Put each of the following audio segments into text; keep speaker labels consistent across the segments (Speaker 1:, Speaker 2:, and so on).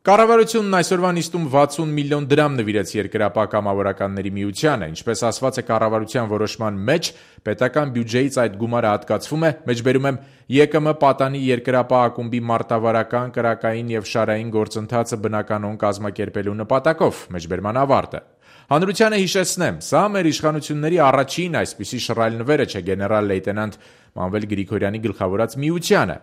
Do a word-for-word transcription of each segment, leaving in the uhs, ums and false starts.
Speaker 1: Կառավարությունն այսօրվա նիստում վաթսուն միլիոն դրամ նվիրեց Երկրապահ կամավորականների միությանը, ինչպես ասված է կառավարության որոշման մեջ, պետական բյուջեից այդ գումարը հատկացվում է, մեջբերում եմ ԵԿՄ պատանի Երկրապահ ակումբի մարտավարական, կրակային եւ շարային գործընթացը բնականոն կազմակերպելու նպատակով, մեջբերման ավարտը։ Հանրությանը հիշեցնեմ, սա մեր իշխանությունների առաջին այսպիսի շռայլ նվերը չէ գեներալ լեյտենանտ Մանվել Գրիգորյանի գլխավորած միությանը։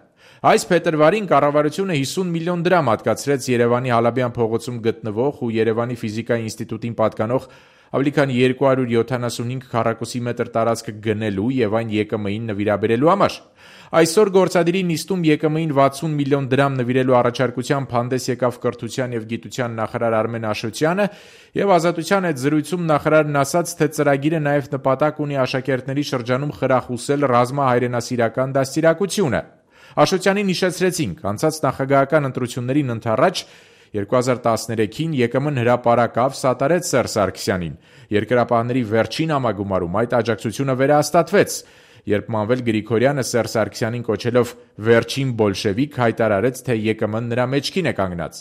Speaker 1: Այս փետրվարին կառավարությունը հիսուն միլիոն դրամ հատկացրեց Երևանի Հալաբյան փողոցում գտնվող ու Երևանի ֆիզիկայի ինստիտուտին պատկանող ավելի քան երկու հարյուր յոթանասունհինգ քառակուսի մետր տարածք գնելու եւ այն ԵԿՄ-ին նվիրաբերելու համար։ Այսօր գործադիրի նիստում ԵԿՄ-ին վաթսուն միլիոն դրամ նվիրելու առաջարկությամբ հանդես եկավ կրթության եւ գիտության նախարար Արմեն Աշոտյանը եւ Ազատության հետ զրույցում նախարարն ասաց, թե ծրագիրը նաեւ նպատակ ունի աշակերտների շրջանում խրախուսել ռազմահայրենասիրական դաստիարակությունը։ Աշոտյանին հիշեցրեցինք, անցած նախագահական ընտրություններին ընդառաջ երկու հազար տասներեքին ԵԿՄ-ն հրապարակավ սատարեց Սերժ Սարգսյանին։ Երկրապահների վերջին համագումարում այդ աջակցությունը վերահաստատվեց, երբ Մանվել Գրիգորյանը Սերժ Սարգսյանին կոչելով վերջին բոլշևիկ հայտարարեց, թե ԵԿՄ-ն նրա մեջքին է կանգնած։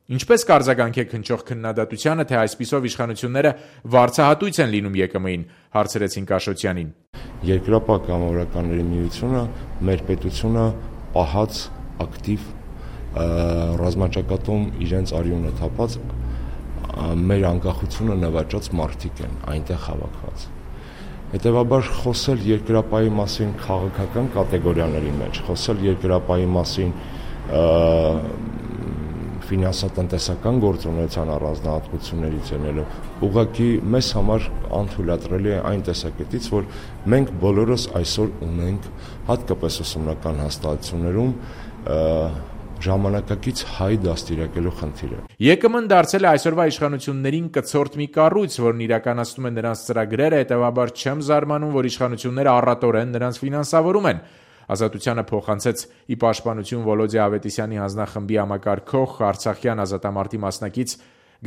Speaker 1: Ինչպես կարձագանքեք հնչող քննադատությանը, թե այսպիսով իշխանությունները վարձահատույց են լինում ԵԿՄ-ին, հարցրեցինք Աշոտյանին։
Speaker 2: Երկրապահ կամավորականների միությունը մեր պետությունը պահած ակտիվ ռազմաճակատում իրենց արյունը թափած մեր անկախությունը նվաճած մարդիկ են այնտեղ հավաքված։ Հետևաբար խոսել Երկրապահի մասին քաղաքական կատեգորիաների մեջ, խոսել Երկրապահի մասին ֆինանսատնտեսական գործունեության առանձնահատկություններից ելնելու ուղղակի մեզ համար անթույլատրելի է այն տեսակետից, որ մենք բոլորս այսօր ունենք հատկապես ուսումնական հաստատություններում ժամանակակից հայ դաստիարակելու խնդիրը։
Speaker 1: ԵԿՄ-ն դարձել է այսօրվա իշխանություններին կցորդ մի կառույց, որն իրականացնում է նրանց ծրագրերը, հետևաբար չեմ զարմանում, որ իշխանությունները առատորեն նրանց ֆինանսավորում են։ Ազատությանը փոխանցեց ի պաշտպանություն Վոլոդիա Ավետիսյանի հանձնախմբի համակարգող Արցախյան ազատամարտի մասնակից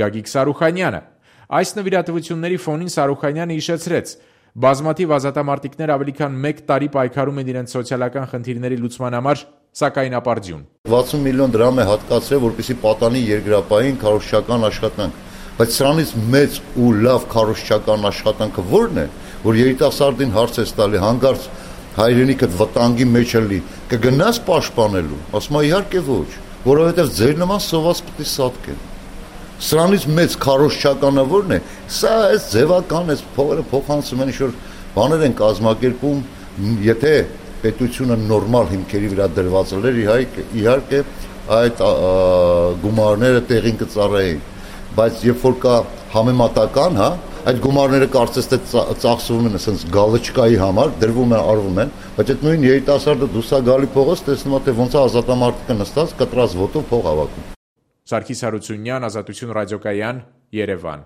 Speaker 1: Գագիկ Սարուխանյանը։ Այս նվիրատվությունների ֆոնին Սարուխանյանը հիշեցրեց. բազմաթիվ ազատամարտիկներ ավելի քան մեկ տարի պայքարում են իրենց սոցիալական խնդիրների լուծման համար, սակայն ապարդյուն։
Speaker 3: վաթսուն միլիոն դրամ է հատկացրել, որպեսզի պատանի Երկրապահին քարոզչական աշխատանք, բայց սրանից մեծ ու լավ քարոզչական աշխատանքը ո՞րն է, որ երիտասարդին հարց է տալի հանգարց հայրենիքդ վտանգի մեջ է լի, կգնաս պաշտպանելու, ասում է իհարկե ոչ, որովհետև ձեր նման սոված պետք է սատկեն։ Սրանից մեծ քարոզչականը ո՞րն է, սա այս ձևական, այս փողերը փոխանցում են, ինչ-որ բաներ են կազմակերպում, եթե պետությունը նորմալ հիմքերի վրա դրված էր, իհարկե այդ գումարները տեղին կծառայեին, բայց երբ որ կա համեմատական, հա, այդ գումարները կարծես թե ծախսվում են ասենց գալչկայի համար, դրվում են, արվում են, բայց այդ նույն երիտասարդը դուսա գալի փողոց, տեսնում է թե ոնց է ազատամարտիկը նստած կտրած ոտով փող հավաքում։
Speaker 1: Սարգիս Հարությունյան, Ազատություն ռադիոկայան, Երևան։